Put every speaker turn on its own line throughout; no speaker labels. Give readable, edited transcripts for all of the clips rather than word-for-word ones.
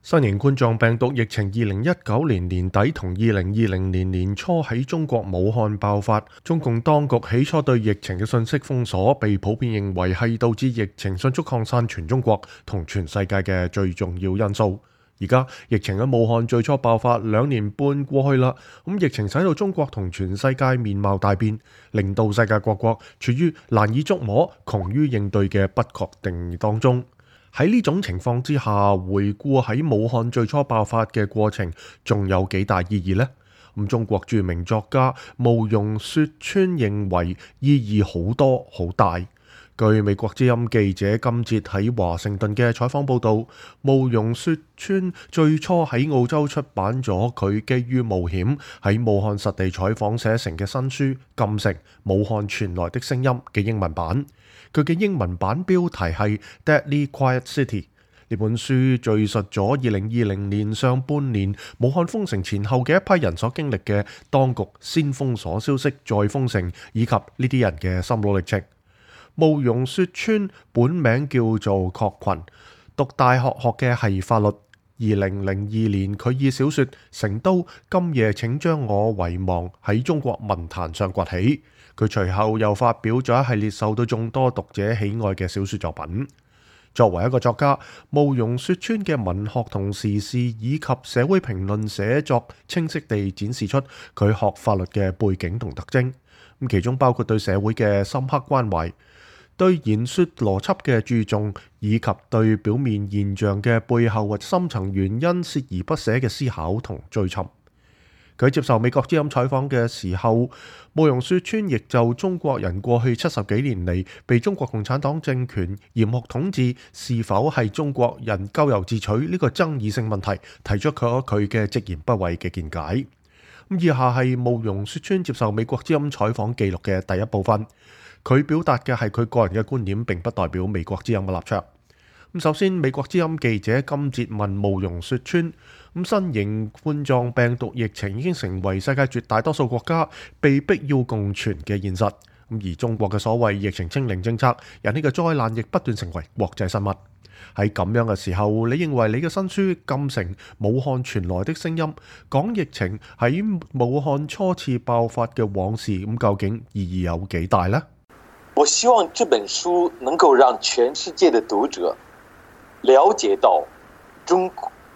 新型冠狀病毒疫情2019年年底同2020年年初喺中國武漢爆發，中共當局起初對疫情嘅信息封鎖，被普遍認為係導致疫情迅速擴散全中國同全世界嘅最重要因素。而家疫情喺武漢最初爆發2年半過去啦，疫情使到中國同全世界面貌大變，令到世界各國處於難以捉摸、窮於應對嘅不確定當中。喺呢種情況之下，回顧喺武漢最初爆發嘅過程，仲有幾大意義呢？中國著名作家慕容雪村認為意義好多好大。據美國之音記者今節喺華盛頓嘅採訪報導，慕容雪村最初喺澳洲出版咗佢基於冒險喺武漢實地採訪寫成嘅新書《禁城：武漢傳來的聲音》嘅英文版。佢嘅英文版標題係《Deadly Quiet City》。呢本書敘述咗2020年上半年武漢封城前後嘅一批人所經歷嘅當局先封鎖消息再封城，以及呢啲人嘅心路歷程。慕容雪村本名叫做郝群，讀大學學嘅係法律。2002年佢以小說《成都今夜請將我遺忘》喺中國文壇上崛起。佢隨後又發表咗一系列受到眾多讀者喜愛嘅小說作品。作為一個作家，慕容雪村嘅文學同時事以及社會評論寫作清晰地展示出佢學法律嘅背景同特徵，其中包括對社會嘅深刻關懷，對言說邏輯嘅注重，以及對表面現象嘅背後或深層原因鍥而不捨嘅思考同追尋。佢接受美國之音採訪嘅時候，慕容雪村亦就中國人過去70幾年嚟被中國共產黨政權嚴酷統治是否係中國人咎由自取呢個爭議性問題，提出佢嘅直言不諱嘅見解。以下係慕容雪村接受美國之音採訪記錄嘅第一部分。佢表達嘅係佢個人嘅觀點，並不代表美國之音嘅立場。首先，美國之音記者今節問慕容雪村：新型冠狀病毒疫情已經成為世界絕大多數國家被迫要共存嘅現實，而中國嘅所謂疫情清零政策引起嘅災難亦不斷成為國際新聞。喺咁樣嘅時候，你認為你嘅新書《禁城：武漢傳來的聲音》講疫情喺武漢初次爆發嘅往事，究竟意義有幾大呢？
我希望這本書能夠讓全世界的讀者了解到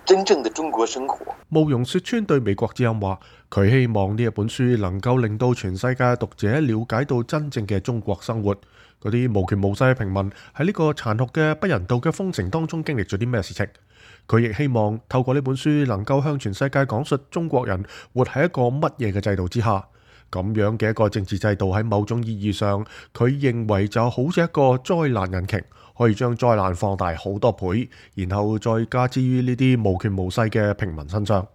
真正的中國生活。
慕容雪村對美國之音話，佢希望呢一本書能夠令到全世界讀者了解到真正嘅中國生活，嗰啲無權無勢嘅平民喺呢個殘酷嘅不人道嘅封城當中經歷咗啲咩事情。佢亦希望透過呢本書能夠向全世界講述中國人活喺一個乜嘢嘅制度之下。咁樣嘅一個政治制度喺某種意義上，佢認為就好似一個災難引擎，可以將災難放大好多倍，然後再加之於呢啲無權無勢嘅平民身上。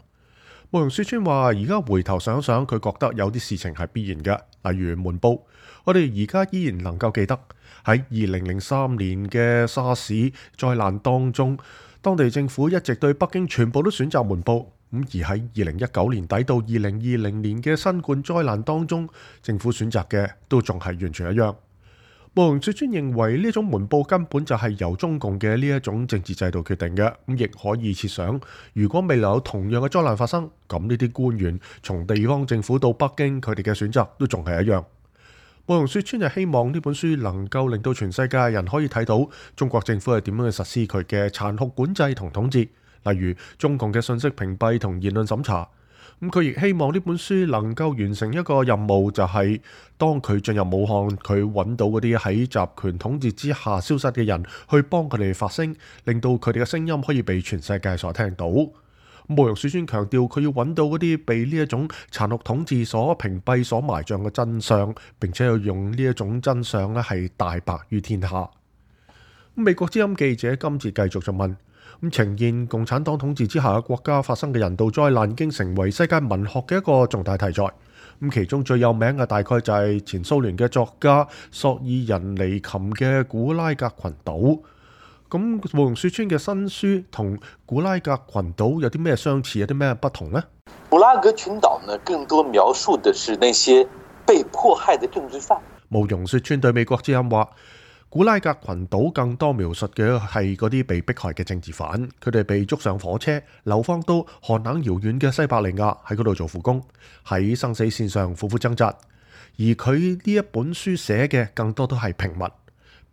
慕容雪村話：而家回頭想想，佢覺得有啲事情係必然嘅，例如瞞報。我哋而家依然能夠記得喺2003年嘅沙士災難當中，當地政府一直對北京全部都選擇瞞報。而喺2019年底到2020年嘅新冠災難當中，政府選擇嘅都仲係完全一樣。慕容雪村認為呢種瞞報根本就係由中共嘅呢一種政治制度決定嘅，亦可以設想，如果未來有同樣嘅災難發生，咁呢啲官員從地方政府到北京，佢哋嘅選擇都仲係一樣。慕容雪村就希望呢本書能夠令到全世界人可以睇到中國政府係點樣去實施佢嘅殘酷管制同統治。例如中共嘅信息屏蔽同言論審查，佢亦希望呢本書能夠完成一個任務，就係當佢進入武漢，佢揾到嗰啲喺集權統治之下消失嘅人，去幫佢哋發聲，令到佢哋嘅聲音可以被全世界所聽到。慕容雪村強調，佢要揾到嗰啲被呢一種殘酷統治所屏蔽、所埋葬嘅真相，並且要用呢一種真相咧係大白於天下。美國之音記者今次繼續就問：呈現共產黨統治之下嘅國家發生嘅人道災難已經成為世界文學嘅一個重大題材。其中最有名嘅大概就係前蘇聯嘅作家索爾仁尼琴嘅古拉格群島。慕容雪村嘅新書同古拉格群島有啲咩相似，有啲咩不同呢？
古拉格群島呢，更多描述的是那些被迫害的政治犯。
慕容雪村對美國之音話：古拉格群島更多描述嘅係嗰啲被迫害嘅政治犯，佢哋被捉上火車，流放到寒冷遙遠嘅西伯利亞，喺嗰度做苦工，喺生死線上苦苦掙扎。而佢呢一本書寫嘅更多都係平民。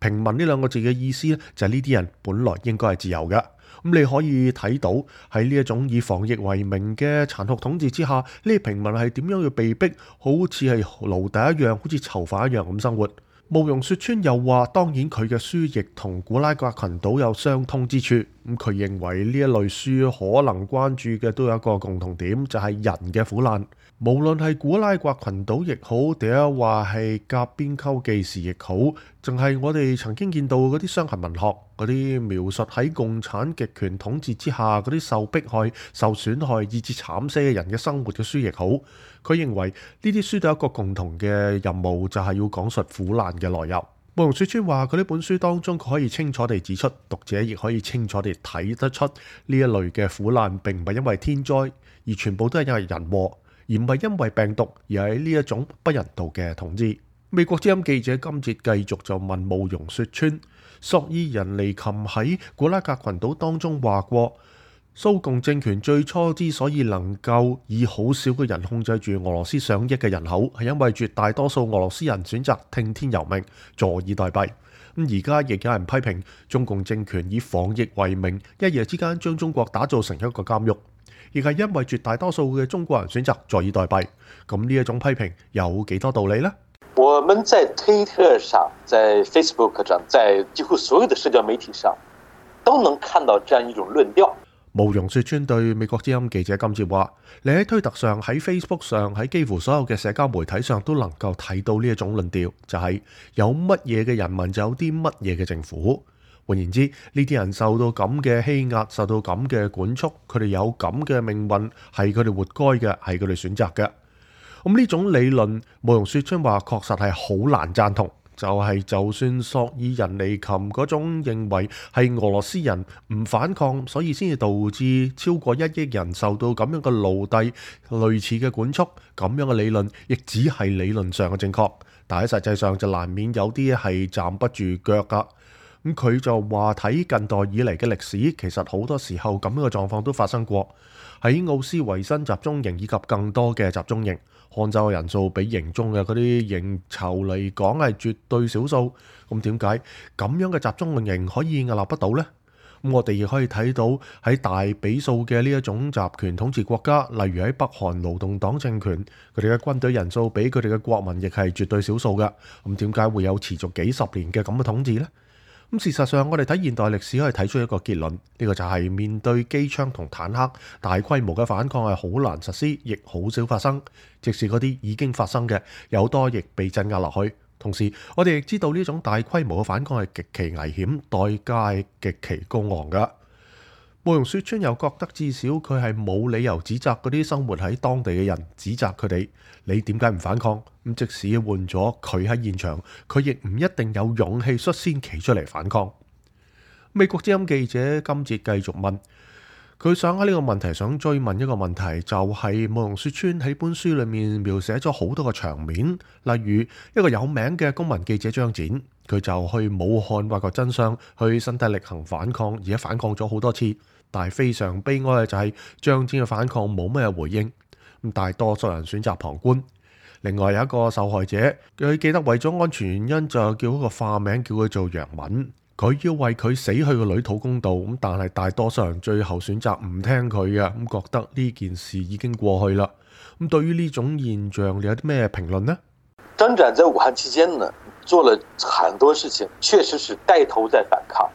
平民呢兩個字嘅意思咧，就係呢啲人本來應該係自由嘅。咁你可以睇到喺呢一種以防疫為名嘅殘酷統治之下，呢啲平民係點樣要被逼，好似係奴隸一樣，好似囚犯一樣咁生活。慕容雪村又話，當然佢嘅書亦同古拉格群島有相通之處。咁佢認為呢一類書可能關注嘅都有一個共同點，就係人嘅苦難。無論係古拉格群島亦好，定係話係甲邊丘記事亦好，淨係我哋曾經見到嗰啲傷痕文學，嗰啲描述喺共產極權統治之下嗰啲受迫害、受損害以至慘死嘅人嘅生活嘅書亦好，佢認為呢啲書都有一個共同嘅任務，就係要講述苦難嘅來由。慕容雪村話，佢呢本書當中，佢可以清楚地指出，讀者亦可以清楚地睇得出呢一類嘅苦難並唔係因為天災，而全部都係因為人禍，而唔係因為病毒，而係呢一種不人道嘅統治。美國之音記者今節繼續就問慕容雪村，索爾仁尼琴喺古拉格群島當中話過，蘇共政權最初之所以能夠以好少嘅人控制住俄羅斯上億嘅人口，係因為絕大多數俄羅斯人選擇聽天由命，坐以待斃。咁而家亦有人批評中共政權以防疫為名，一夜之間將中國打造成一個監獄。亦係因為絕大多數嘅中國人選擇坐以待斃，咁呢一種批評有幾多道理呢？
我們在推特上、在 Facebook 上、在幾乎所有的社交媒體上，都能看到這樣一種論調。
慕容雪村對美國之音記者今次話：你喺推特上、喺 Facebook 上、喺幾乎所有嘅社交媒體上都能夠睇到呢一種論調，就係有乜嘢嘅人民就有啲乜嘢嘅政府。換言之，呢啲人受到咁嘅欺壓，受到咁嘅管束，佢哋有咁嘅命運，係佢哋活該嘅，係佢哋選擇嘅。咁呢種理論，慕容雪村話確實係好難贊同。就算索爾仁尼琴嗰種認為係俄羅斯人唔反抗，所以先至導致超過1億人受到咁樣嘅奴隸類似嘅管束，咁樣嘅理論亦只係理論上嘅正確，但喺實際上就難免有啲係站不住腳噶。咁佢就話睇近代以嚟嘅歷史，其實好多時候咁樣嘅狀況都發生過。喺奧斯維辛集中營以及更多嘅集中營，看守嘅人數比營中嘅嗰啲營囚嚟講係絕對少數。咁點解咁樣嘅集中營可以屹立不倒呢？咁我哋亦可以睇到喺大比數嘅呢一種集權統治國家，例如喺北韓勞動黨政權，佢哋嘅軍隊人數比佢哋嘅國民亦係絕對少數嘅。咁點解會有持續幾十年嘅咁嘅統治呢？咁事實上，我哋睇現代歷史可以睇出一個結論，呢個就係面對機槍同坦克，大規模嘅反抗係好難實施，亦好少發生。即使嗰啲已經發生嘅，有多亦被鎮壓落去。同時，我哋亦知道呢種大規模嘅反抗係極其危險，代價係極其高昂㗎。慕容雪村又覺得至少佢係冇理由指責嗰啲生活喺當地嘅人，指責佢哋你點解唔反抗？咁即使換咗佢喺現場，佢亦唔一定有勇氣率先企出嚟反抗。美國之音記者今節繼續問，佢想喺呢個問題想追問一個問題，就係慕容雪村喺本書裏面描寫咗好多個場面，例如一個有名嘅公民記者張展，佢就去武漢挖掘真相，去身體力行反抗，而且反抗咗好多次，但係非常悲哀嘅就係張展嘅反抗冇咩回應，咁大多數人選擇旁觀。另外有一個受害者，佢記得為咗安全原因就叫一個化名叫佢做楊敏，佢要為佢死去嘅女討公道，咁但係大多數人最後選擇唔聽佢嘅，咁覺得呢件事已經過去啦。咁對於呢種現象，你有啲咩評論呢？
張展在武漢期間呢，做了很多事情，確實是帶頭在反抗。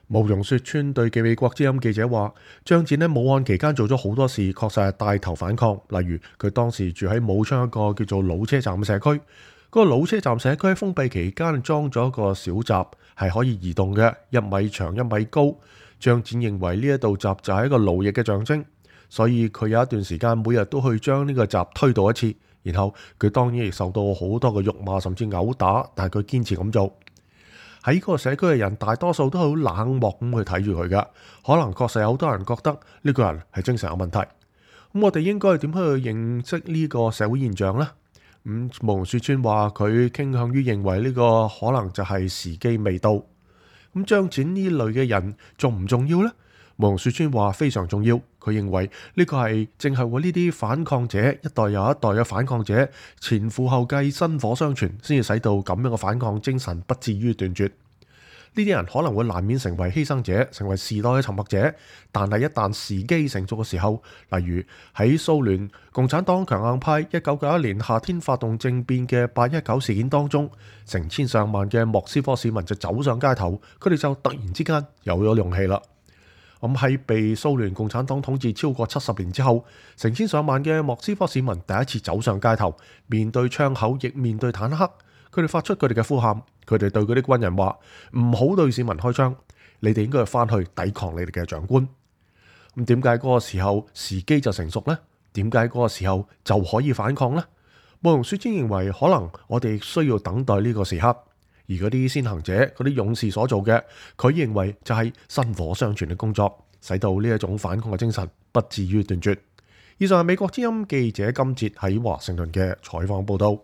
慕容雪村對美國之音記者話，張展喺武漢期間做咗好多事，確實係帶頭反抗。例如佢當時住喺武昌一個叫做老車站嘅社區，嗰個老車站社區喺封閉期間裝咗一個小閘，係可以移動嘅，1米長1米高。張展認為呢一道閘就係一個奴役嘅象徵，所以佢有一段時間每日都去將呢個閘推倒一次。然後佢當然亦受到好多嘅辱罵甚至毆打，但係佢堅持咁做。喺嗰個社區嘅人大多數都好冷漠咁去睇住佢噶，可能確實有好多人覺得呢個人係精神有問題。咁我哋應該點樣去認識呢個社會現象呢？慕容雪村話佢傾向於認為呢個可能就係時機未到。咁張展呢類嘅人重唔重要呢？慕容雪村話非常重要。佢認為呢個係正係為呢啲反抗者一代又一代嘅反抗者前赴後繼、薪火相傳，先至使到咁樣嘅反抗精神不至於斷絕。呢啲人可能會難免成為犧牲者，成為時代嘅沉默者。但係一旦時機成熟嘅時候，例如喺蘇聯共產黨強硬派1991年夏天發動政變嘅819事件當中，成千上萬嘅莫斯科市民就走上街頭，佢哋就突然之間有咗勇氣啦。咁喺被蘇聯共產黨統治超過70年之後，成千上萬嘅莫斯科市民第一次走上街頭，面對槍口，亦面對坦克。佢哋發出佢哋嘅呼喊，佢哋對嗰啲軍人話：唔好對市民開槍，你哋應該翻去抵抗你哋嘅長官。咁點解嗰個時候時機就成熟呢？點解嗰個時候就可以反抗呢？慕容雪村認為，可能我哋需要等待呢個時刻，而嗰啲先行者、嗰啲勇士所做嘅，佢認為就係薪火相傳嘅工作，使到呢一種反抗嘅精神不至於斷絕。以上係美國之音記者金哲喺華盛頓嘅採訪報道。